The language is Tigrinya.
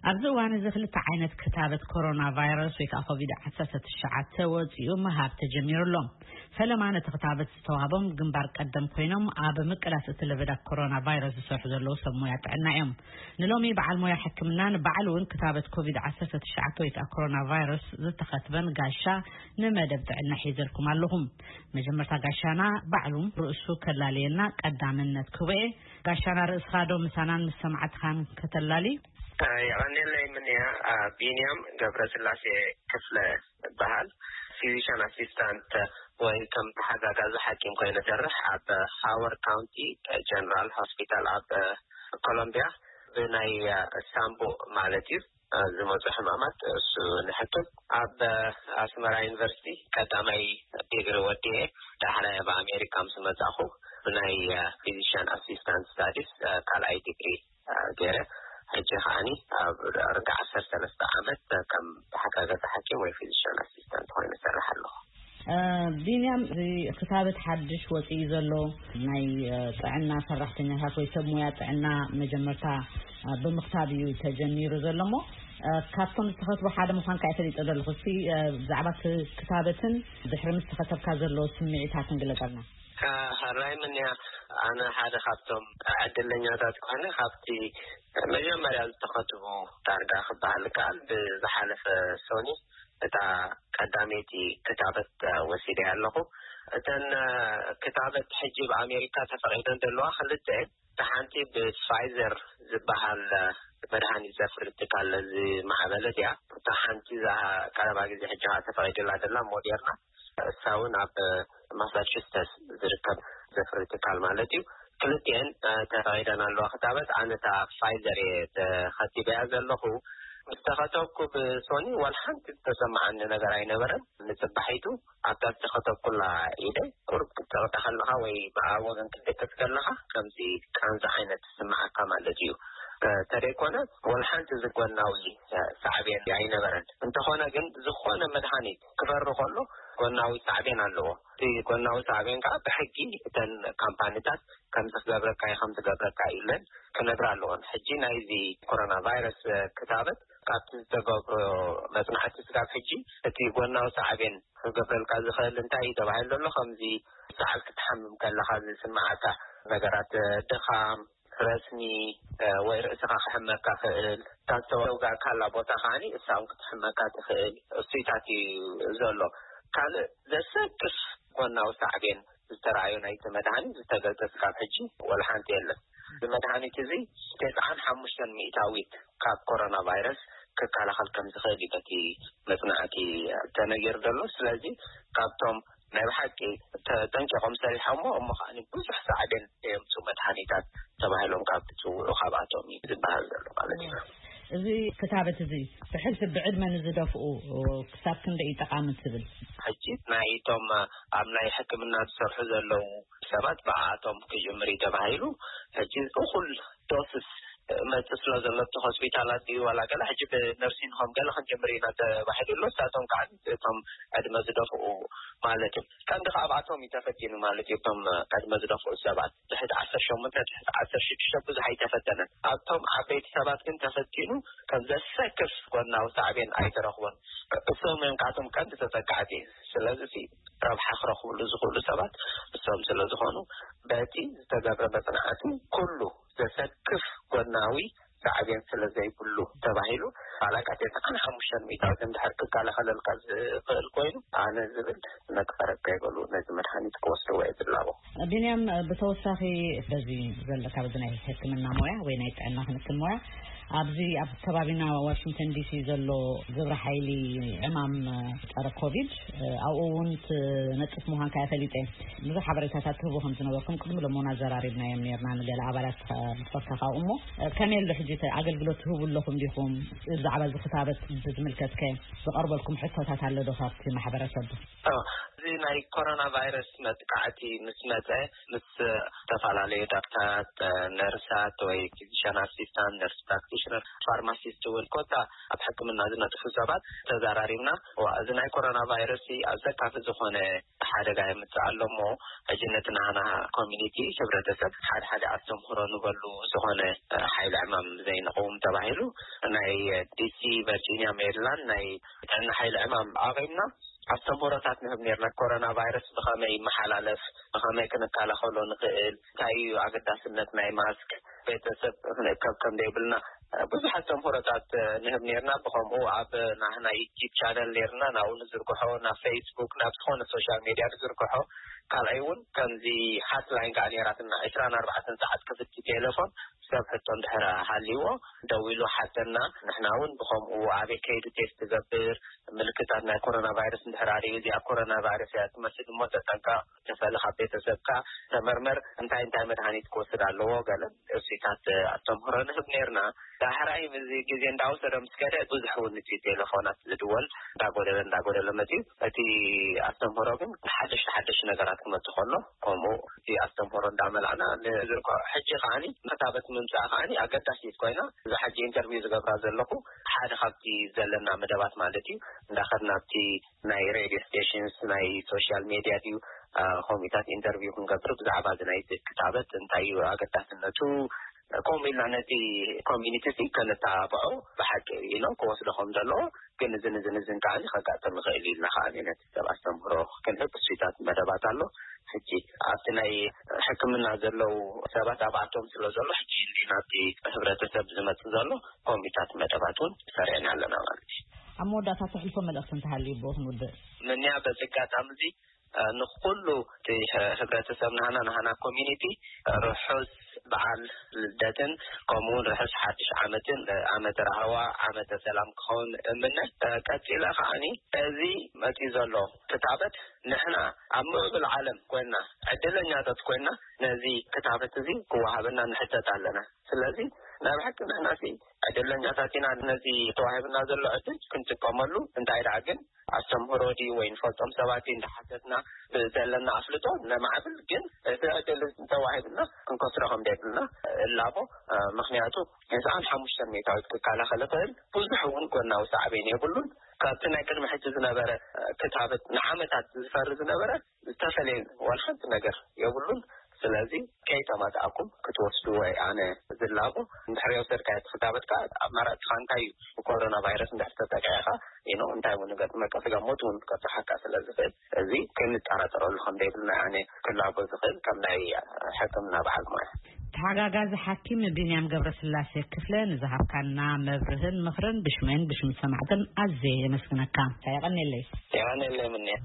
ኣብዚ እዋን እዚ ክልተ ዓይነት ክታበት ኮሮና ቫይረስ ወይ ከዓ ኮቪድ ዓሰርተ ትሽዓተ ወፂኡ ምሃብ ተጀሚሩ ኣሎ። ፈለማ ነቲ ክታበት ዝተዋህቦም ግንባር ቀደም ኮይኖም ኣብ ምቅላስ እቲ ለበዳ ኮሮና ቫይረስ ዝሰርሑ ዘለዉ ሰብ ሞያ ጥዕና እዮም። ንሎሚ በዓል ሞያ ሕክምና ንባዕሉ እውን ክታበት ኮቪድ ዓሰርተ ትሽዓተ ወይ ከዓ ኮሮና ቫይረስ ዝተኸትበን ጋሻ ንመደብ ጥዕና ሒዘልኩም ኣለኹም። መጀመርታ ጋሻና ባዕሉ ርእሱ ከላልየና ቀዳምነት ክህቦ እየ። ጋሻና ርእስኻ ዶ ምሳናን ምስ ሰማዕትኻን ከተላሊ? የቐንየለይ ምንያ። ቢንያም ገብረስላሴ ክፍለ እበሃል። ፊዚሽን ኣሲስታንት ወይ ከም ተሓጋጋዚ ሓኪም ኮይነ ሰርሕ ኣብ ሃወርድ ካውንቲ ጀነራል ሆስፒታል ኣብ ኮሎምቢያ ብናይ ሳምቦ ማለት እዩ ዝመፁ ሕማማት እሱ ንሕክም። ኣብ ኣስመራ ዩኒቨርሲቲ ቀዳማይ ዲግሪ ወዲኤ ዳሕራይ ኣብ ኣሜሪካ ምስ መፃኹ ብናይ ፊዚሽን ኣሲስታንት ስታዲስ ካልኣይ ዲግሪ ገይረ። ሕጂ ከዓኒ ኣብ ርጋ ዓሰርተ ሰለስተ ዓመት ከም ተሓጋጋዚ ሓኪም ወይ ፊዚሽን ኣሲስታንት ኮይነ እሰርሕ ኣለኹ። ቢንያም፣ እዚ ክታበት ሓድሽ ወፂኡ ዘሎ ናይ ጥዕና ሰራሕተኛታት ወይ ሰብ ሙያ ጥዕና መጀመርታ ብምክታብ እዩ ተጀሚሩ ዘሎ እሞ፣ ካብቶም ዝተኸትቡ ሓደ ምዃንካ እየ ፈሊጠ ዘለኹ። እስቲ ብዛዕባ ክታበትን ድሕሪ ምስ ተኸተብካ ዘሎ ስምዒታትን ግለፀልና። ሕራይ ምንያ፣ ኣነ ሓደ ካብቶም ዕድለኛታት ኮይነ ካብቲ መጀመርያ ዝተኸትቡ ዳርጋ ክበሃል ከኣል ብዝሓለፈ ሶኒ እታ ቀዳመይቲ ክታበት ወሲደ ኣለኹ። እተን ክታበት ሕጂ ብኣሜሪካ ተፈቒደን ዘለዋ ክልተ እየን። እታ ሓንቲ ብፋይዘር ዝበሃል መድሃኒት ዘፍሪ ትካል ዝማዕበለት እያ። እታ ሓንቲ እዛ ቀረባ ግዜ ሕጂ ኸዓ ተፈቒድላ ዘላ ሞዴርና፣ እሳ እውን ኣብ ማሳቹስተስ ዝርከብ ዘፍሪ ትካል ማለት እዩ። ክልቲኤን ተፈቒደን ኣለዋ ክታበት። ኣነ እታ ፋይዘር እየ ተኸቲበያ ዘለኹ። ምስ ተኸተብኩ ብሶኒ ዋላ ሓንቲ ዝተሰማዓኒ ነገር ኣይነበረን። ንፅባሒቱ ኣብታ ዝተኸተብኩላ ኢደ ቁሩብ ክትፀቕጠ ከለኻ ወይ ብኣ ወገን ክትደቅስ ከለኻ ከምዚ ቃንዛ ዓይነት ዝስምዓካ ማለት እዩ። ተደይኮነ ዋላ ሓንቲ ዝጎናዊ ሳዕቤን ኣይነበረን። እንተኾነ ግን ዝኾነ መድሃኒት ክፈሪ ከሎ ጎናዊ ሳዕቤን ኣለዎ። እቲ ጎናዊ ሳዕቤን ከዓ ብሕጊ እተን ካምፓኒታት ከምዚ ክገብረካ እዩ ከምዚ ክገብረካ እዩ ኢለን ክነግራ ኣለዎን። ሕጂ ናይዚ ኮሮና ቫይረስ ክታበት ካብቲ ዝተገብሮ መፅናዕቲ ስጋብ ሕጂ እቲ ጎናዊ ሳዕቤን ክገብረልካ ዝኽእል እንታይ እዩ ተባሂሉ ዘሎ? ከምዚ ሰዓል ክትሓምም ከለኻ ዝስምዓካ ነገራት፣ ድኻም፣ ረስኒ ወይ ርእስኻ ክሕመካ ክእል፣ እታ ዝተወጋእካላ ቦታ ከዓኒ እሳውን ክትሕመካ ትኽእል። እሱይታት እዩ ዘሎ። ካልእ ዘሰክፍ ጎናዊ ሳዕቤን ዝተረኣዩ ናይቲ መድሃኒት ዝተገልጸ ስጋብ ሕጂ ወላ ሓንቲ የለን። እዚ መድሃኒት እዚ ተስዓን ሓሙሽተን ሚእታዊት ካብ ኮሮና ቫይረስ ክከላኸል ከም ዝኽእል እዩ በቲ መፅናዕቲ ተነጊሩ ዘሎ። ስለዚ ካብቶም ናይ ብሓቂ ተጠንቂቖም ሰሪሖሞ እሞ ከዓኒ ብዙሕ ሳዕቤን ዘየምፁ መድሃኒታት ተባሂሎም ካብ ትፅውዑ ካብኣቶም እዩ ዝበሃል ዘሎ ማለት እዩ። እዚ ክታበት እዚ ብሕልፊ ብዕድመ ንዝደፍኡ ክሳብ ክንደይ እዩ ጠቓሚ ትብል? ሕጂ ናይቶም ኣብ ናይ ሕክምና ዝሰርሑ ዘለዉ ሰባት ብኣቶም ክጅምር እዩ ተባሂሉ። ሕጂ እኹል ዶስስ መጽ ስለ ዘሎ እቲ ሆስፒታላት እዩ ዋላ ገለ ሕጂ ብነርሲንግ ሆም ገለ ክንጅምር ኢና ተባሂሉ ኣሎ። እሳቶም ከዓ እቶም ዕድመ ዝደፍኡ ማለት እዩ። ቀንዲ ካብኣቶም እዩ ተፈቲኑ ማለት እዩ። እቶም ዕድመ ዝደፍኡ ሰባት ትሕቲ ዓሰርተ ሸሞንተ ትሕቲ ዓሰርተ ሽዱሽተ ብዙሕ ኣይተፈተነን። ኣብቶም ዓበይቲ ሰባት ግን ተፈቲኑ ከም ዘሰክፍ ጎናዊ ሳዕቤን ኣይተረኽቦን። እሶም እዮም ካብቶም ቀንዲ ተጠቃዕቲ። ስለዚ ረብሓ ክረኽብሉ ዝኽእሉ ሰባት እሶም ስለ ዝኾኑ በቲ ዝተገብረ መፅናዕቲ ኩሉ ዘሰክፍ ጎናዊ ሳዕቤን ስለ ዘይብሉ ተባሂሉ ዋላ ካብ ተስዓን ሓሙሽተን ሚእታዊት እንድሕር ክከላኸለልካ ዝኽእል ኮይኑ ኣነ ዝብል መቅፈረት ከይበሉ ነዚ መድሃኒት ክወስድዎ እየ ዝላቦ። ቢንያም፣ ብተወሳኺ በዚ ዘለካ በዚ ናይ ሕክምና ሞያ ወይ ናይ ጥዕና ክንክን ሞያ ኣብዚ ኣብ ከባቢና ዋሽንግተን ዲሲ ዘሎ ግብረ ሓይሊ ዕማም ፀረ ኮቪድ ኣብኡ እውን ትነጥፍ ምዃንካ እየ ፈሊጠ። ብዙሕ ሓበሬታታት ትህቡ ከም ዝነበርኩም ቅድሚ ሎሞና ኣዘራሪብናዮም ነርና ንገለ ኣባላት ዝፈካ ካብኡ እሞ ከመይ ኣሎ ሕጂ እቲ ኣገልግሎት ትህቡ ኣለኹም ዲኹም? ብዛዕባ እዚ ክታበት ብዝምልከትከ ዝቐርበልኩም ሕቶታት ኣሎ ዶ ካብቲ ማሕበረሰብ? እዚ ናይ ኮሮና ቫይረስ መጥቃዕቲ ምስ መጸ፣ ምስ ዝተፈላለዩ ዳክተራት፣ ነርሳት ወይ ፊዚሽን ኣሲስታንት፣ ነርስ ፕራክቲሽነር፣ ፋርማሲስት እውን ኮታ ኣብ ሕክምና ዝነጥፉ ሰባት ተዛራሪብና። ዋ፣ እዚ ናይ ኮሮና ቫይረስ ኣብዚ ዘካፊ ዝኾነ ሓደጋ የምጽእ ኣሎ እሞ፣ ሕጂ ነቲ ናህና ኮሚኒቲ፣ ሕብረተሰብ፣ ሓደ ሓደ ኣስተምህሮ ንበሉ፣ ዝኾነ ሓይሊ ዕማም ዘይንቐውም ተባሂሉ ናይ ዲሲ፣ ቨርጂኒያ፣ ሜሪላንድ ናይ ጥዕና ሓይሊ ዕማም ኣቐምና። ኣስተምህሮታት ንህብ ኔርና። ኮሮና ቫይረስ ብኸመይ ይመሓላለፍ፣ ብኸመይ ክንከላኸሎ ንኽእል፣ እንታይ እዩ ኣገዳስነት ናይ ማስክ፣ ቤተሰብ ክንእከብ ከም ዘይብልና፣ ብዙሕ ኣስተምህሮታት ንህብ ኔርና። ብኸምኡ ኣብ ናህና ዩቲዩብ ቻነል ኔርና፣ ናብኡ ንዝርግሖ፣ ናብ ፌስቡክ፣ ናብ ዝኾነ ሶሻል ሜድያ ንዝርግሖ። ካልኣይ እውን ከምዚ ሃትላይን ከዓ ኔራትና፣ ዕስራን ኣርባዕተን ሰዓት ክፍቲ ቴሌፎን፣ ሰብ ሕቶ እንድሕር ሃልይዎ ደዊሉ ሓተና። ንሕና እውን ብኸምኡ ኣበይ ከይዱ ቴስት ትገብር፣ ምልክታት ናይ ኮሮና ቫይረስ እንድሕር ኣርእዩ፣ እዚኣ ኮሮና ቫይረስ እያ ትመስል እሞ ተጠንቀቕ፣ ተፈሊ ካብ ቤተሰብካ፣ ተመርመር፣ እንታይ እንታይ መድሃኒት ክወስድ ኣለዎ፣ ገለ እሱታት ኣስተምህሮ ንህብ ኔርና። ዳሕራይ እዚ ግዜ እንዳወሰደ ምስ ከደ፣ ብዙሕ እውን እቲ ቴሌፎናት ዝድወል እንዳጎደለ እንዳጎደለ መፅዩ። እቲ ኣስተምህሮ ግን ሓደሽቲ ሓደሽቲ ነገራት ክመፅእ ከሎ፣ ከምኡ እቲ ኣስተምህሮ እንዳመላእና ንዝርግሖ። ሕጂ ከዓኒ ክታበት ምምፃእ ከዓኒ ኣገዳሲት ኮይና፣ እዛ ሕጂ ኢንተርቪው ዝገብራ ዘለኹ ሓደ ካብቲ ዘለና መደባት ማለት እዩ። እንዳኸድና ኣብቲ ናይ ሬድዮ ስቴሽንስ፣ ናይ ሶሻል ሜድያ ድዩ፣ አ፣ ከምኡታት ኢንተርቪው ክንገብር ብዛዕባ እዚ ናይ ክታበት እንታይ እዩ ኣገዳስነቱ፣ ከምኡ ኢልና ነቲ ኮሚኒቲ እዚ ከነተባብዖ ብሓቂ ኢሎም ክወስዶ ከም ዘለዎ፣ ግን እዝን እዝን እዝን ከዓኒ ከጋጥም ይኽእል እዩ ኢልና ከዓኒ ነቲ ሰብ ኣስተምህሮ ክንህብ እሱታት መደባት ኣሎ። ሕጂ ኣብቲ ናይ ሕክምና ዘለዉ ሰባት ኣብኣቶም ስለ ዘሎ፣ ሕጂ ናብቲ ሕብረተሰብ ዝመጽእ ዘሎ ከምኡታት መደባት እውን ሰሪዕና ኣለና ማለት እዩ። ኣብ መወዳእታ ተሕልፎ መልእኽቲ እንተሃልዩ ብኡ ክንውድእ። ምንያ በዚ ኣጋጣሚ እዚ፣ እ፣ ንኹሉ እቲ ህ-፣ ህብረተሰብ ናህና፣ ናህና ኮሚኒቲ ርሑስ በዓል ልደትን ከምኡ እውን ርሑስ ሓድሽ ዓመትን፣ እ፣ ዓመተ ራህዋ፣ ዓመተ ሰላም ክኸውን እምነ። እ፣ ቀጺለ ከዓኒ እዚ መጺኡ ዘሎ ክታበት ንሕና ኣብ ምዕብል ዓለም ኮይንና ዕድለኛታት ኮይንና ነዚ ክታበት እዚ ክወሃበና ንሕተት ኣለና። ስለዚ ናይ ብሓቂ ንሕና ሲ ዕድለኛታት ኢና። ነዚ ተዋሂብና ዘሎ ዕድል ክንጥቀመሉ፣ እንታይ ደኣ ግን ኣስተምህሮ ድዩ ወይ ንፈልጦም ሰባት ድዩ እንዳሓተትና ብዘለና ኣፍልጦ ነማዕብል፣ ግን እቲ ዕድል ተዋሂብና ክንከስሮ ከም ዘይብልና እላቦ። እ፣ ምኽንያቱ ተስዓን ሓሙሽተን ሚእታዊት ክከላኸል ይኽእል፣ ብዙሕ እውን ጎናዊ ሳዕቤን የብሉን። ካብቲ ናይ ቅድሚ ሕጂ ዝነበረ፣ እ፣ ክታበት ንዓመታት ዝፈሪ ዝነበረ ዝተፈለየ ዋላ ሓንቲ ነገር የብሉን። ስለዚ ከይተማታእኩም ክትወስድዎ እየ ኣነ ዝላቦ። እንድሕር የውሰድካዮ እቲ ክታበት ከዓ ኣማራፅኻ እንታይ እዩ? ብኮሮና ቫይረስ እንድሕር ተጠቂዕኻ፣ you know፣ እንታይ እውን ገጥመካ፣ ስጋ ሞት እውን ከብፅሓካ ስለ ዝኽእል፣ እዚ ክንጠራጠረሉ ከም ዘይብልና ኣነ ክላቦ ዝኽእል ከም ናይ ሕክምና በዓል ሞያ። ተሓጋጋዚ ሓኪም ቢንያም ገብረስላሴ ክፍለ ንዝሃብካና መብርህን ምኽርን ብሽመይን ብሽም ሰማዕትን ኣዝየ የመስግነካ። የቐኔለይ። የቐኔለይ ምንያ።